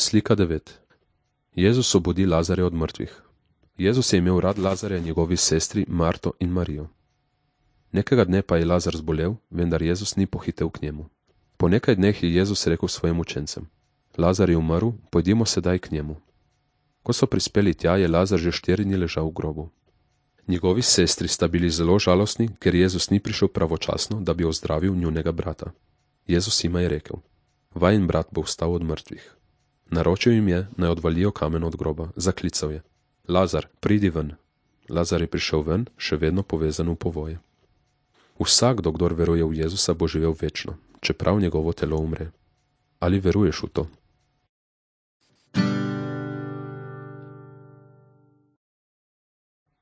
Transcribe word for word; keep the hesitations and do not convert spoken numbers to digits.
Slika devet. Jezus obudi Lazarja od mrtvih. Jezus je imel rad Lazarja in njegovi sestri Marto in Marijo. Nekega dne pa je Lazar zbolel, vendar Jezus ni pohitel k njemu. Po nekaj dneh je Jezus rekel svojim učencem: Lazar je umrl, pojdimo sedaj k njemu. Ko so prispeli tja, je Lazar že štiri dni ležal v grobu. Njegovi sestri sta bili zelo žalostni, ker Jezus ni prišel pravočasno, da bi ozdravil njunega brata. Jezus jima je rekel: Vajin brat bo vstal od mrtvih. Naročil jim je, naj odvalijo kamen od groba, zaklical je: Lazar, pridi ven. Lazar je prišel ven, še vedno povezan v povoje. Vsakdo, kdor veruje v Jezusa, bo živel večno, čeprav njegovo telo umre. Ali veruješ v to?